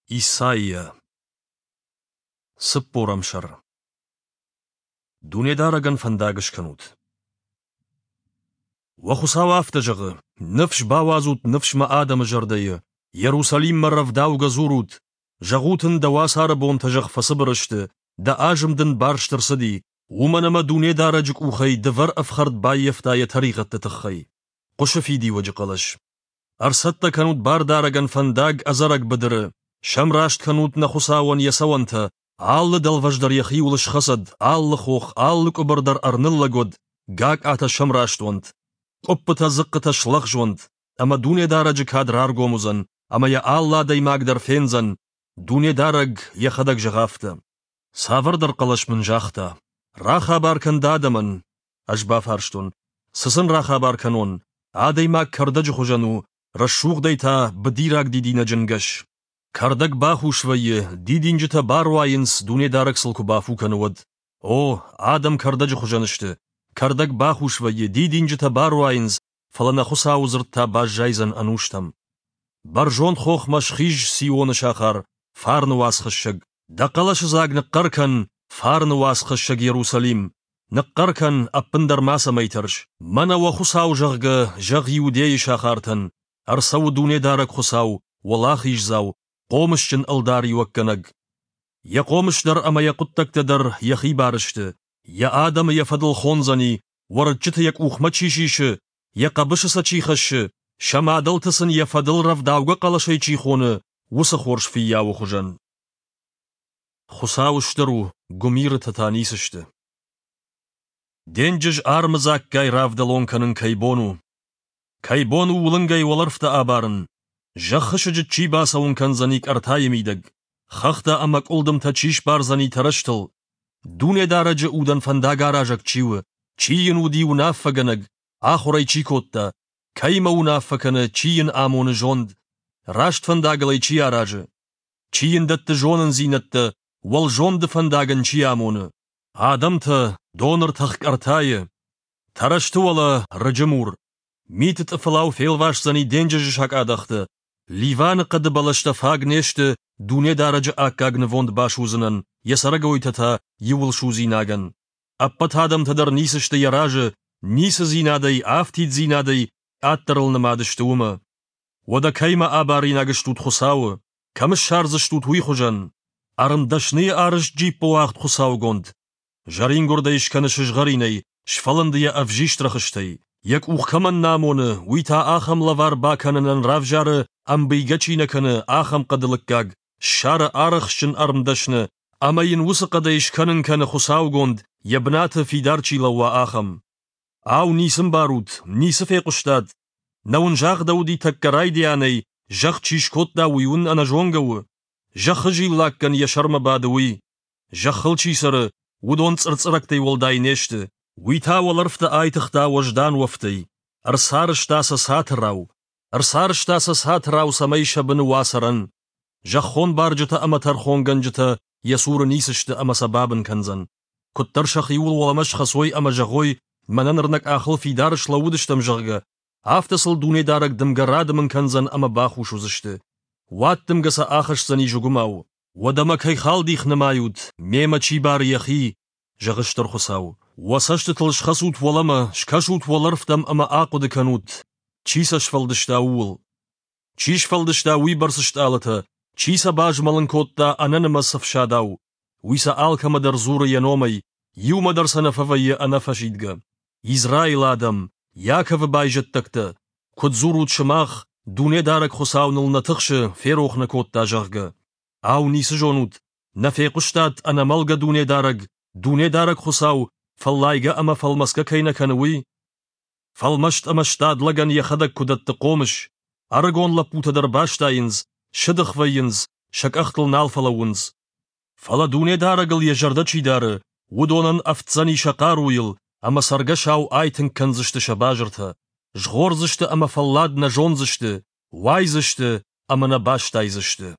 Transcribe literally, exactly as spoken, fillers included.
Исайя. Цыппорӕм сӕр. Дунедарӕгӕн фӕндаг скӕнут. Уӕ Хуыцау афтӕ зӕгъы: Ныфс бауадзут ныфс мӕ адӕмы зӕрдӕйы, Иерусалиммӕ рӕвдаугӕ дзурут, зӕгъут ын, дӕ уацары бонтӕ зӕгъ фӕцыбыр сты, дӕ азым дын барст ӕрцыди, уымӕн ӕмӕ Дунедарӕджы къухӕй дывӕр ӕфхӕрд баййӕфта йӕ тӕригъӕдты тыххӕй. Хъуысы фидиуӕджы хъӕлӕс. Ӕрцӕттӕ кӕнут Бардарӕгӕн фӕндаг ӕдзӕрӕг быдыры, сӕмраст кӕнут нӕ Хуыцауӕн йӕ цӕуӕнтӕ, алы дӕлвӕз дӕр йӕхиуыл схӕцӕд, алы хох, алы къуыбыр дӕр ӕрныллӕг уӕд, гакъатӕ сӕмраст уӕнт, къуыппытӕ-дзыхъхъытӕ слӕгъз уӕнт, ӕмӕ Дунедарӕджы кад раргом уыдзӕн, ӕмӕ йӕ алы адӕймаг дӕр фендзӕн, Дунедарӕг йӕхӕдӕг зӕгъы афтӕ. Цавӕрдӕр хъӕлӕс мын загъта: «Рахабар кӕн дӕ адӕмӕн». Ӕз бафарстон: «Цы сын рахабар кӕнон? Адӕймаг кӕрдӕджы хуызӕн у, рӕсугъдӕй та быдираг дидинӕджы нгӕс. Кӕрдӕг бахус вӕййы, дидинджытӕ баруайынц, Дунедарӕг сыл куы бафу кӕны, уӕд. О, адӕм кӕрдӕджы хуызӕн сты. Кӕрдӕг бахус вӕййы, дидинджытӕ баруайынц, фӕлӕ нӕ Хуыцауы дзырд та баззайдзӕн ӕнустӕм. Бӕрзонд хохмӕ схиз Сионы сахар, фарны уацхӕссӕг. Дӕ хъӕлӕсыдзаг ныхъхъӕр кӕн, фарны уацхӕссӕг Иерусалим. Ныхъхъӕр кӕн, ӕппындӕр мацӕмӕй тӕрс. Мӕнӕ уӕ Хуыцау, зӕгъгӕ, зӕгъ Иудейы сахартӕн. Ӕрцӕуы Дунедарӕг Хуыцау, уӕлахиздзау, хъомысджын ӕлдариуӕггӕнӕг. Йӕ хъомыс дӕр ӕмӕ йӕ хъуыддӕгтӕ дӕр йӕхи бар сты. Йӕ адӕмы йӕ фӕдыл хондзӕни, уӕрыччыты йӕ къухмӕ чи сисы, йӕ хъӕбысы сӕ чи хӕссы, сӕ мадӕлты сын йӕ фӕдыл рӕвдаугӕ хъӕлӕсӕй чи хоны, уыцы хорз фыййауы хуызӕн. Хуыцау стыр у, гуымирытӕ та ницы сты. Денджыз армыдзаггай равдӕлон кӕнын кӕй бон у? Кӕй бон у уылынгӕй уӕлӕрвтӕ абарын? Зӕххы сыджыт чи бацӕуын кӕндзӕни къӕртайы мидӕг? Хӕхтӕ ӕмӕ къуылдымтӕ чи сбардзӕни тӕрӕзтыл? Дунедарӕджы удӕн фӕндагаразӕг чи у? Чи йын уыди уынаффӕгӕнӕг, ахуыр ӕй чи кодта? Кӕимӕ уынаффӕ кӕны, чи йын амоны зонд? Раст фӕндагыл ӕй чи аразы? Чи йын дӕтты зонындзинӕдтӕ, уӕлзонды фӕндаг ын чи амоны? Адӕмтӕ, доны ртах къӕртайы, тӕрӕзты уӕлӕ рыджы мур. Миты тъыфылау фелвасдзӕни денджызы сакъадӕхты. Ливаны хъӕды бӕлӕстӕ фаг не сты Дунедарӕджы аккаг нывонд басудзынӕн, йӕ цӕрӕгойтӕ та иууылсудзинагӕн. Ӕппӕт адӕмтӕ дӕр ницы сты йӕ разы, ницыдзинадӕй, афтиддзинадӕй къаддӕрыл нымад сты уымӕ. Уӕдӕ кӕимӕ абаринаг стут Хуыцауы? Кӕм ссардзыстут уый хуызӕн? Ӕрмдӕсныйы арӕзт джиппыуагъд хуыцаугонд. Зӕрингуырдӕй скӕны сызгъӕринӕй, сфӕлынды йӕ ӕвзист рӕхыстӕй. Йӕ къух кӕмӕн нӕ амоны, уый та ахӕм лӕвар бакӕнынӕн равзары, ӕмбийгӕ чи нӕ кӕны, ахӕм хъӕды лыггаг, ссары арӕхстджын ӕрмдӕсны, ӕмӕ йын уыцы хъӕдӕй скӕнын кӕны хуыцаугонд, йӕ бынаты фидар чи лӕууа, ахӕм. Ау, ницы мбарут, ницы фехъуыстат? Нӕ уын загъдӕуыди тӕккӕ райдианӕй, зӕхх чи скодта, уый уын ӕнӕзонгӕ у? Зӕххы зиллаккӕн йӕ сӕрмӕ бады уый. Зӕххыл чи цӕры, уыдон цъырцъырӕгтӕй уӕлдай не сты. Уый та уӕлӕрвтӕ айтыгъта уӕздан уӕфтӕй, ӕрцарӕзта сӕ цатырау, ӕрцарӕзта сӕ цатырау, цӕмӕй сӕ быны уа цӕрӕн. Зӕххон барджытӕ ӕмӕ тӕрхонгӕнджытӕ йӕ цуры ницы сты ӕмӕ сӕ бабын кӕндзӕн. Куыддӕр сӕхиуыл уӕлӕмӕ схӕцой ӕмӕ зӕгъой, мӕнӕ ныр нӕ къахыл фидар слӕууыдыстӕм, зӕгъгӕ, афтӕ сыл Дунедарӕг дымгӕ радымын кӕндзӕн ӕмӕ бахус уыдзысты. Уаддымгӕ сӕ ахӕсдзӕни зыгуымау. Уӕдӕ мӕ кӕй халдих нымайут, мемӕ чи бары йӕхи, зӕгъы Стыр Хуыцау. Уӕ цӕстытыл схӕцут уӕлӕмӕ, скӕсут уӕлӕрвтӕм ӕмӕ ахъуыды кӕнут, чи сӕ сфӕлдыста, ууыл. Чи сфӕлдыста уыйбӕрц стъалытӕ, чи сӕ базмӕлын кодта ӕнӕнымӕц ӕфсадау? Уый сӕ алкӕмӕ дӕр дзуры йӕ номӕй, иумӕ дӕр сӕ нӕ фӕвӕййы ӕнӕфӕсидгӕ. Израилы адӕм, Иаковы байзӕддӕгтӕ, куыд дзурут сымах, Дунедарӕг Хуыцау ныл нӕ тыхсы, ферох нӕ кодта, зӕгъгӕ. Ау, ницы зонут, нӕ фехъуыстат ӕнӕмӕлгӕ Дунедарӕг, Дунедарӕг Хуыцау, фӕллайгӕ ӕмӕ фӕлмӕцгӕ кӕй нӕ кӕны, уый? Фӕлмӕст ӕмӕ стад лӕгӕн йӕхӕдӕг куы дӕтты хъомыс, ӕрыгон лӕппутӕ дӕр бастайынц, сыдых вӕййынц, сӕ къӕхтыл нал фӕлӕууынц. Фӕлӕ Дунедарӕгыл йӕ зӕрдӕ чи дары, уыдонӕн ӕфтдзӕни сӕ хъаруйыл, ӕмӕ цӕргӕсау айтынг кӕндзысты сӕ базыртӕ. Згъордзысты ӕмӕ фӕллад нӕ зондзысты, уайдзысты ӕмӕ нӕ бастайдзысты.